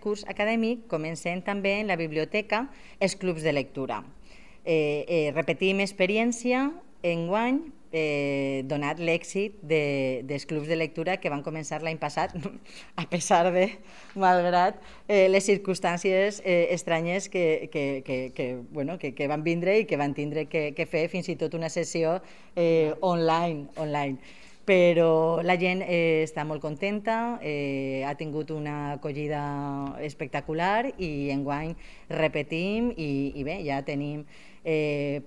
curs acadèmic comencem també en la biblioteca els clubs de lectura. Repetim experiència enguany, donat l'èxit dels clubs de lectura que van començar l'any passat, a pesar de, malgrat les circumstàncies estranyes que van vindre i que van tindre que fer fins i tot una sessió online. Però la gent està molt contenta, ha tingut una acollida espectacular i enguany repetim i bé, ja tenim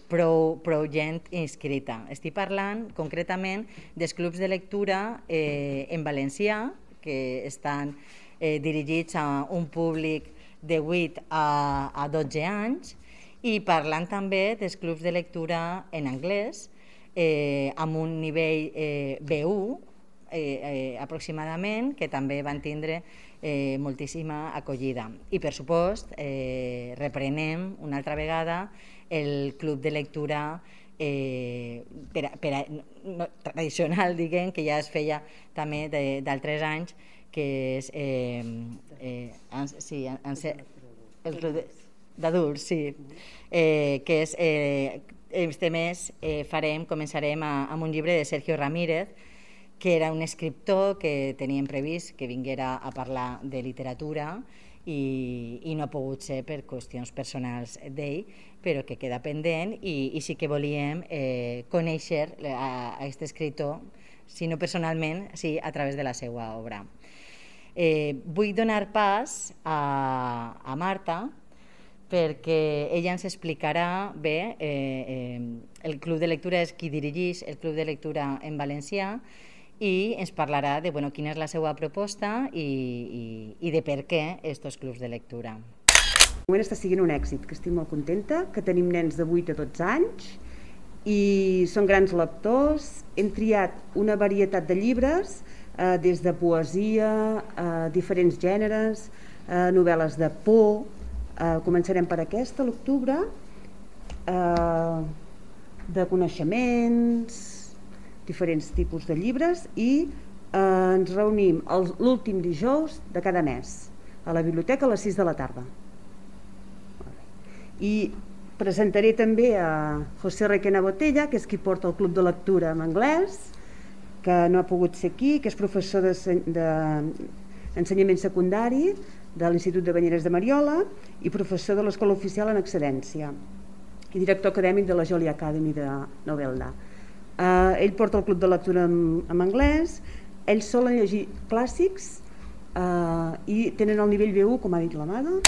prou gent inscrita. Estic parlant concretament dels clubs de lectura en valencià, que estan dirigits a un públic de 8 a 12 anys, i parlant també dels clubs de lectura en anglès, amb un nivell B1 aproximadament, que també van tindre moltíssima acollida. I per supost reprenem una altra vegada el club de lectura tradicional, diguem, que ja es feia també d'altres anys, que és el club d'adults, sí, que és este mes començarem amb un llibre de Sergio Ramírez, que era un escriptor que teníem previst que vinguera a parlar de literatura i no ha pogut ser per qüestions personals d'ell, però que queda pendent i sí que volíem conèixer a aquest escriptor, si no personalment, sí a través de la seva obra. Vull donar pas a Marta, perquè ella ens explicarà bé, el club de lectura és qui dirigeix el club de lectura en valencià i ens parlarà de quina és la seva proposta i de per què aquests clubs de lectura. De moment està sent un èxit, que estic molt contenta, que tenim nens de 8 a 12 anys i són grans lectors. Hem triat una varietat de llibres, des de poesia, diferents gèneres, novel·les de por. Començarem per aquesta, a l'octubre, de coneixements, diferents tipus de llibres, i ens reunim l'últim dijous de cada mes a la biblioteca a les 6 de la tarda. I presentaré també a José Requena Botella, que és qui porta el club de lectura en anglès, que no ha pogut ser aquí, que és professor d'ensenyament secundari de l'Institut de Banyeres de Mariola i professor de l'Escola Oficial en Excedència i director acadèmic de la Jolie Academy de Novelda. Ell porta el club de lectura en anglès, ells solen llegir clàssics y tienen el nivel B1, como ha dicho la Amada.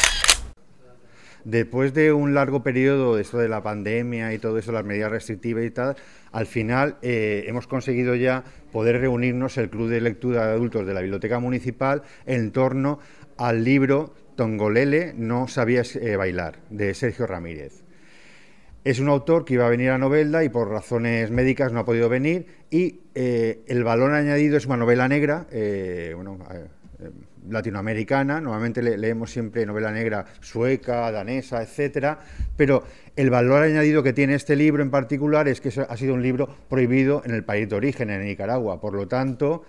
Después de un largo periodo de esto de la pandemia y todo eso, las medidas restrictivas y tal, al final hemos conseguido ya poder reunirnos el Club de Lectura de Adultos de la Biblioteca Municipal en torno al libro Tongolele, no sabías bailar, de Sergio Ramírez. Es un autor que iba a venir a Novelda y por razones médicas no ha podido venir, y el valor añadido es una novela negra, latinoamericana. Normalmente leemos siempre novela negra sueca, danesa, etcétera, pero el valor añadido que tiene este libro en particular es que ha sido un libro prohibido en el país de origen, en Nicaragua. Por lo tanto,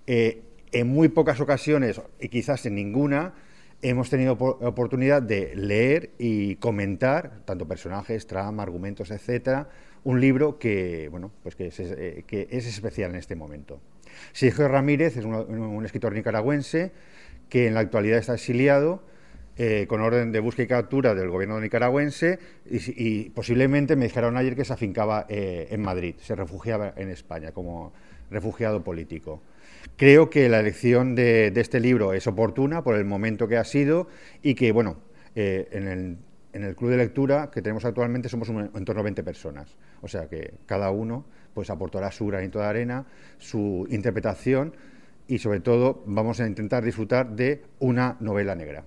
en muy pocas ocasiones, y quizás en ninguna, hemos tenido oportunidad de leer y comentar, tanto personajes, trama, argumentos, etcétera, un libro que, que es especial en este momento. Sergio Ramírez es un escritor nicaragüense que en la actualidad está exiliado con orden de búsqueda y captura del gobierno nicaragüense y posiblemente me dijeron ayer que se afincaba en Madrid, se refugiaba en España como refugiado político. Creo que la elección de este libro es oportuna por el momento que ha sido y que, en el club de lectura que tenemos actualmente somos en torno a 20 personas, o sea que cada uno pues aportará su granito de arena, su interpretación y sobre todo vamos a intentar disfrutar de una novela negra.